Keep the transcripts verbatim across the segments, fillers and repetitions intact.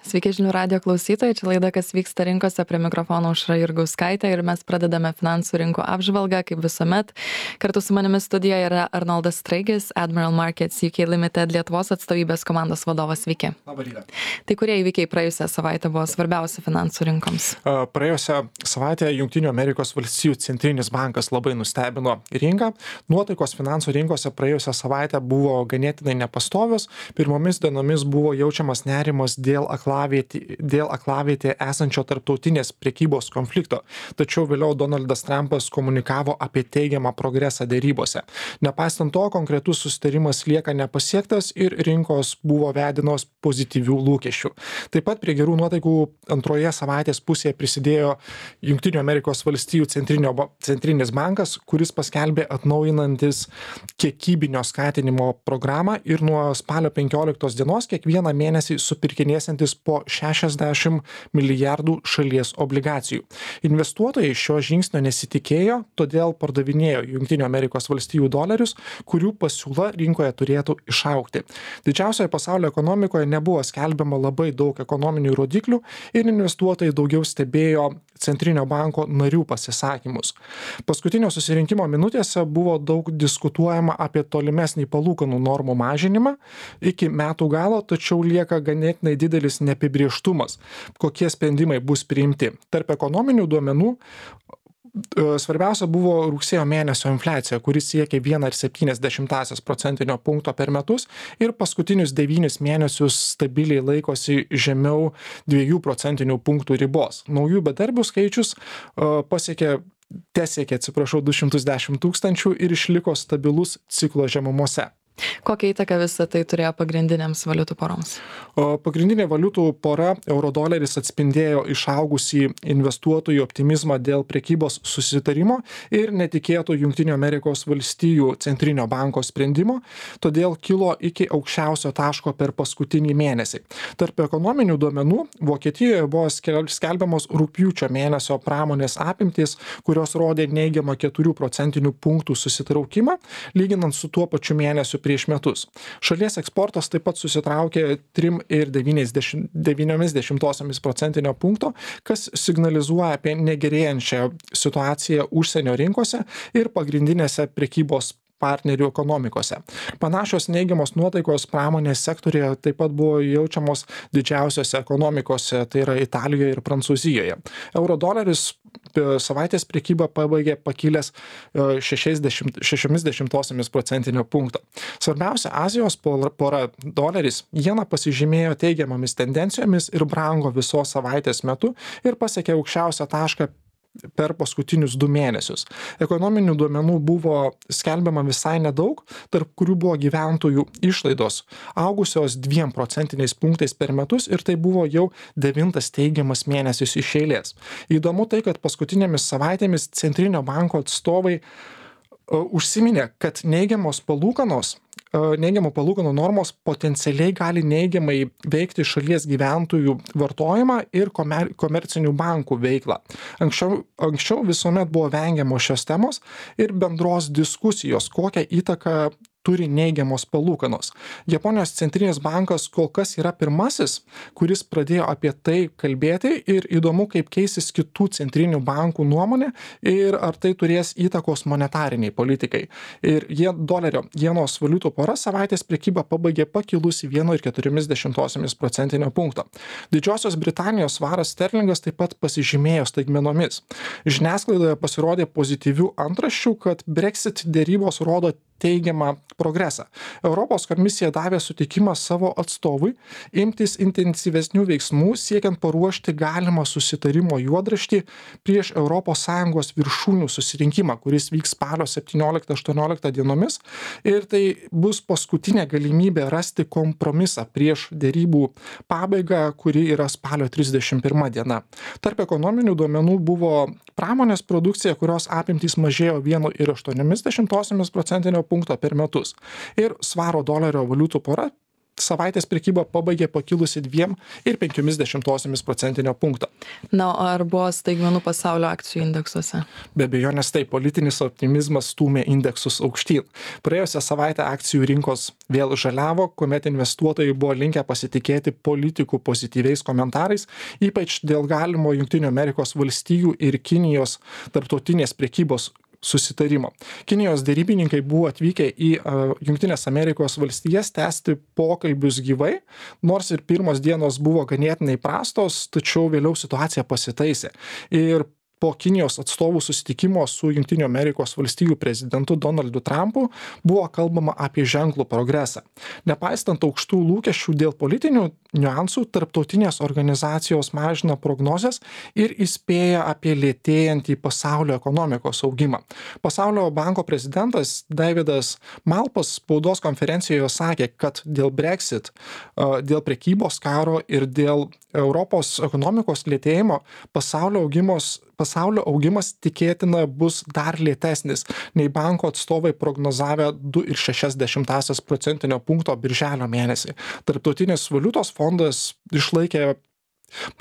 Sveiki žinių radio klausytojai, čia laida Kas vyksta rinkose, prie mikrofono Aušra Jurgauskaitė ir mes pradedame finansų rinkų apžvalgą, kaip visuomet. Kartu su manimi studijoje yra Arnoldas Straigis, Admiral Markets U K Limited Lietuvos atstovybės komandos vadovas. Sveiki. Labą rytą. Tai kurie įvykiai praėjusią savaitę buvo svarbiausi finansų rinkoms? Praėjusią savaitę Jungtinių Amerikos valstijų centrinis bankas labai nustebino rinką. Nuotaikos finansų rinkose praėjusią savaitę buvo ganėtinai nepastovios. Pirmomis dienomis buvo jaučiamas nerimas dėl aklavietė, dėl aklavietė esančio tarptautinės prekybos konflikto. Tačiau vėliau Donaldas Trumpas komunikavo apie teigiamą progresą dėrybose. Nepaisant to, konkretus susitarimas lieka nepasiektas ir rinkos buvo vedinos pozityvių lūkesčių. Taip pat prie gerų nuotaikų antroje savaitės pusėje prisidėjo Jungtinių Amerikos valstijų centrinis bankas, kuris paskelbė atnaujinantis kiekybinio skatinimo programą ir nuo spalio penkioliktos dienos kiekvieną mėnesį supirkinėsiantis po šešiasdešimt milijardų šalies obligacijų. Investuotojai šio žingsnio nesitikėjo, todėl pardavinėjo Jungtinių Amerikos valstijų dolerius, kurių pasiūla rinkoje turėtų išaugti. Didžiausioje pasaulio ekonomikoje nebuvo skelbiama labai daug ekonominių rodiklių ir investuotojai daugiau stebėjo Centrinio banko narių pasisakymus. Paskutinio susirinkimo minutėse buvo daug diskutuojama apie tolimesnį palūkanų normų mažinimą iki metų galo, tačiau lieka ganėtinai didelis neapibrėžtumas, kokie sprendimai bus priimti. Tarp ekonominių duomenų svarbiausia buvo rugsėjo mėnesio infliacija, kuris siekia vieną ir septynias dešimtąsias procentinio punkto per metus ir paskutinius devynis mėnesius stabiliai laikosi žemiau dviejų procentinių punktų ribos. Naujų bedarbių skaičius pasiekė tesiekė, atsiprašau, du šimtus dešimt tūkstančių ir išliko stabilus ciklo žemumose. Kokią įtaką visą tai turėjo pagrindinėms valiutų poroms? Pagrindinė valiutų pora eurodoleris atspindėjo išaugusį investuotojų optimizmą dėl prekybos susitarimo ir netikėto Jungtinių Amerikos valstijų centrinio banko sprendimo, todėl kilo iki aukščiausio taško per paskutinį mėnesį. Tarp ekonominių duomenų Vokietijoje buvo skelbiamos rugpjūčio mėnesio pramonės apimtys, kurios rodė neigiamą keturių procentinių punktų susitraukimą, lyginant su tuo pačiu mėnesiu prieš metus. Šalies eksportas taip pat susitraukė trim ir devyniomis dešimtosiomis procentinio punkto, kas signalizuoja apie negerėjančią situaciją užsienio rinkose ir pagrindinėse prekybos partnerių ekonomikose. Panašios neigiamos nuotaikos pramonės sektorėje taip pat buvo jaučiamos didžiausiose ekonomikose, tai yra Italijoje ir Prancūzijoje. Eurodoleris savaitės prekybą pabaigė pakilęs šešiomis dešimtosiomis procentinio punkto. Svarbiausia Azijos pora doleris jena pasižymėjo teigiamomis tendencijomis ir brango visos savaitės metu ir pasiekė aukščiausią tašką per paskutinius du mėnesius. Ekonominių duomenų buvo skelbiama visai nedaug, tarp kurių buvo gyventojų išlaidos augusios dviem procentiniais punktais per metus ir tai buvo jau devintas teigiamas mėnesis iš eilės. Įdomu tai, kad paskutinėmis savaitėmis Centrinio banko atstovai uh, užsiminė, kad neigiamos palūkanos neigiamų palūkanų normos potencialiai gali neigiamai veikti šalies gyventojų vartojimą ir komer, komercinių bankų veiklą. Anksčiau, anksčiau visuomet buvo vengiamos šios temos ir bendros diskusijos, kokią įtaką turi neigiamos palūkanos. Japonijos centrinis bankas kol kas yra pirmasis, kuris pradėjo apie tai kalbėti ir įdomu, kaip keisis kitų centrinių bankų nuomonė ir ar tai turės įtakos monetariniai politikai. Ir jie dolerio jenos valiutų pora savaitės prekybą pabaigė pakilusi vienu ir keturiomis dešimtosiomis procentinio punkto. Didžiosios Britanijos svaras sterlingas taip pat pasižymėjo staigmenomis. Žiniasklaidoje pasirodė pozityvių antraščių, kad Brexit dėrybos rodo teigiamą progresą. Europos komisija davė sutikimą savo atstovui imtis intensyvesnių veiksmų, siekiant paruošti galimą susitarimo juodraštį prieš Europos Sąjungos viršūnių susirinkimą, kuris vyks spalio septynioliktą aštuonioliktą dienomis. Ir tai bus paskutinė galimybė rasti kompromisą prieš dėrybų pabaigą, kuri yra spalio trisdešimt pirma diena. Tarp ekonominių duomenų buvo pramonės produkcija, kurios apimtys mažėjo vienu ir aštuoniomis dešimtosiomis procentinio punkto per metus. Ir svaro dolerio valiutų pora savaitės prekybą pabaigė pakilusi dviem ir penkiomis dešimtosiomis procentinio punkto. Na, ar buvo staigmenų pasaulio akcijų indeksuose? Be abejonės tai politinis optimizmas stūmė indeksus aukštyn. Praėjusią savaitę akcijų rinkos vėl žaliavo, kuomet investuotojai buvo linkę pasitikėti politikų pozityviais komentarais, ypač dėl galimo Jungtinių Amerikos valstijų ir Kinijos tarptautinės prekybos susitarimo. Kinijos derybininkai buvo atvykę į uh, Jungtinės Amerikos valstijas tęsti pokalbius gyvai, nors ir pirmos dienos buvo ganėtinai prastos, tačiau vėliau situacija pasitaisė. Ir po Kinijos atstovų susitikimo su Jungtinių Amerikos valstijų prezidentu Donaldu Trumpu buvo kalbama apie ženklų progresą. Nepaisant aukštų lūkesčių dėl politinių niuansų, tarptautinės organizacijos mažina prognozes ir įspėja apie lėtėjantį pasaulio ekonomikos augimą. Pasaulio banko prezidentas Davidas Malpas spaudos konferencijoje sakė, kad dėl Brexit, dėl prekybos karo ir dėl Europos ekonomikos lėtėjimo pasaulio augimos Pasaulio augimas tikėtina bus dar lėtesnis, nei banko atstovai prognozavę du ir šešias dešimtąsias procentinio punkto birželio mėnesį. Tarptautinis valiutos fondas išlaikė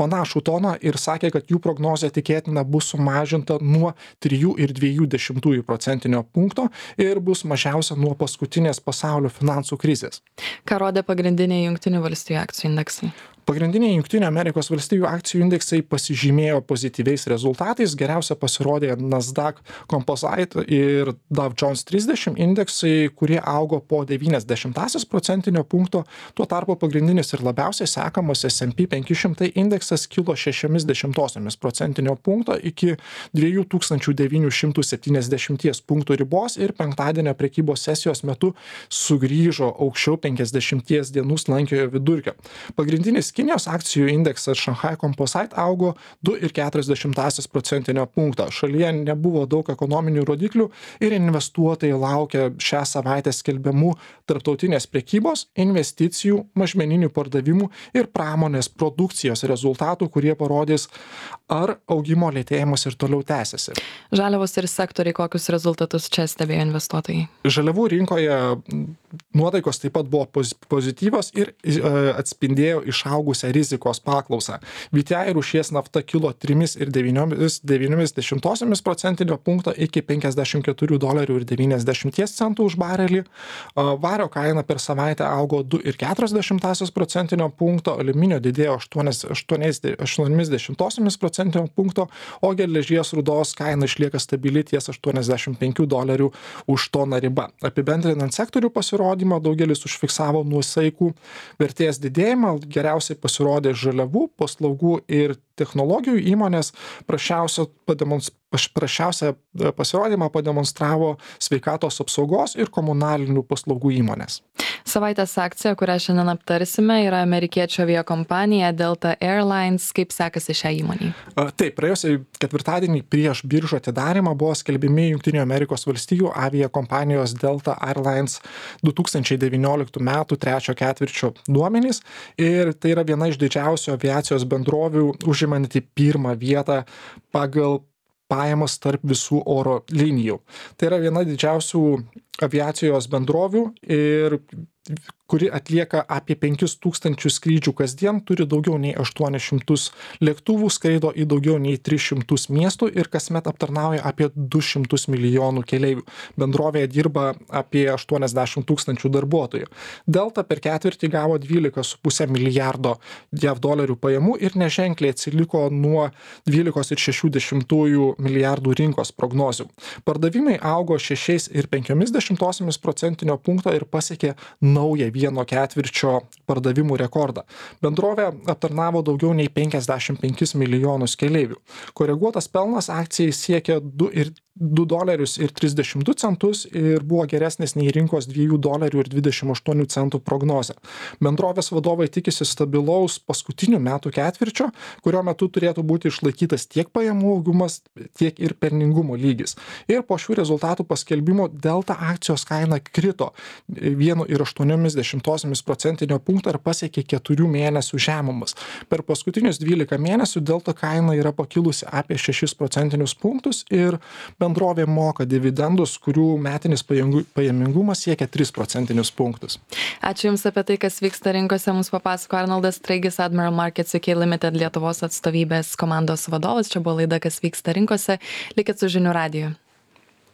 panašų toną ir sakė, kad jų prognozė tikėtina bus sumažinta nuo trijų ir dviejų dešimtųjų procentinio punkto ir bus mažiausia nuo paskutinės pasaulio finansų krizės. Ką rodė pagrindiniai Jungtinių valstijų akcijų indeksai? Pagrindiniai Jungtinių Amerikos valstijų akcijų indeksai pasižymėjo pozityviais rezultatais. Geriausia pasirodė Nasdaq Composite ir Dow Jones trisdešimt indeksai, kurie augo po devynias dešimtąsias procentinio punkto. Tuo tarpu pagrindinis ir labiausiai sekamas S and P penki šimtai indeksas kilo šešiomis dešimtosiomis procentinio punkto iki dviejų tūkstančių devynių šimtų septyniasdešimties punktų ribos ir penktadienio prekybos sesijos metu sugrįžo aukščiau penkiasdešimties dienų slankiojo vidurkio. Pagrindinis Kinijos akcijų indeksas Shanghai Composite augo du ir keturias dešimtąsias procentinio punkto. Šalyje nebuvo daug ekonominių rodiklių ir investuotojai laukia šią savaitę skelbiamų tarptautinės prekybos, investicijų, mažmeninių pardavimų ir pramonės produkcijos rezultatų, kurie parodys, ar augimo lėtėjimas ir toliau tęsiasi. Žaliavos ir sektoriai, kokius rezultatus čia stebėjo investuotojai? Žaliavų rinkoje nuotaikos taip pat buvo pozityvios ir atspindėjo išaugusią rizikos paklausą. V T I rūšies nafta kilo trimis ir devyniomis dešimtosiomis procentinio punkto iki penkiasdešimt keturių dolerių ir devyniasdešimties centų už barelį. Vario kaina per savaitę augo du ir keturias dešimtąsias procentinio punkto, aliuminio didėjo aštuonias dešimtosiomis procentinio punkto, o geležies rūdos kaina išlieka stabili ties aštuoniasdešimt penkių dolerių už toną riba. Apibendrinant sektorių pasirodymą, daugelis užfiksavo nuosaikų vertės didėjimą, geriausiai pasirodė žaliavų, paslaugų ir technologijų įmonės. Prašiausią prašiausią pasirodymą pademonstravo sveikatos apsaugos ir komunalinių paslaugų įmonės. Savaitės akcija, kurią šiandien aptarsime, yra amerikiečio aviakompanija Delta Airlines. Kaip sekasi šią įmonį? Taip, praėjusią ketvirtadienį prieš biržų atidarymą buvo skelbiami Jungtinių Amerikos valstijų aviakompanijos Delta Airlines du tūkstančiai devynioliktų metų trečio ketvirčio duomenys ir tai yra viena iš didžiausių aviacijos bendrovių užimanti pirmą vietą pagal pajamas tarp visų oro linijų. Tai yra viena didžiausių aviacijos bendrovių ir kuri atlieka apie penkis tūkstančius skrydžių kasdien, turi daugiau nei aštuonis šimtus lėktuvų, skraido į daugiau nei tris šimtus miestų ir kasmet aptarnauja apie du šimtus milijonų keleivių. Bendrovėje dirba apie aštuoniasdešimt tūkstančių darbuotojų. Delta per ketvirtį gavo dvylika su puse milijardo jav dolerių pajamų ir neženkliai atsiliko nuo dvylikos ir šešių dešimtųjų milijardų rinkos prognozių. Pardavimai augo šešiais ir penkiomis dešimtosiomis procentinio punkto ir pasiekė naują vieno ketvirčio pardavimų rekordą. Bendrovė aptarnavo daugiau nei penkiasdešimt penkis milijonus keleivių. Koreguotas pelnas akcijai siekia du ir du dolerius ir trisdešimt du centus ir buvo geresnis nei rinkos dviejų dolerių ir dvidešimt aštuonių centų prognozė. Bendrovės vadovai tikisi stabilaus paskutinių metų ketvirčio, kurio metu turėtų būti išlaikytas tiek pajamų augimas, tiek ir pelningumo lygis. Ir po šių rezultatų paskelbimo Delta akcijos kaina krito vienu ir aštuoniais aštuoniomis dešimtosiomis procentinio punkto ir pasiekė keturių mėnesių žemumas. Per paskutinius dvylika mėnesių delta kaina yra pakilusi apie šešis procentinius punktus ir bendrovė moka dividendus, kurių metinis pajamingumas siekia tris procentinius punktus. Ačiū Jums apie tai, kas vyksta rinkose. Mums papasako Arnoldas Straigis, Admiral Markets U K Limited Lietuvos atstovybės komandos vadovas. Čia buvo laida, kas vyksta rinkose. Likit su žinių radiju.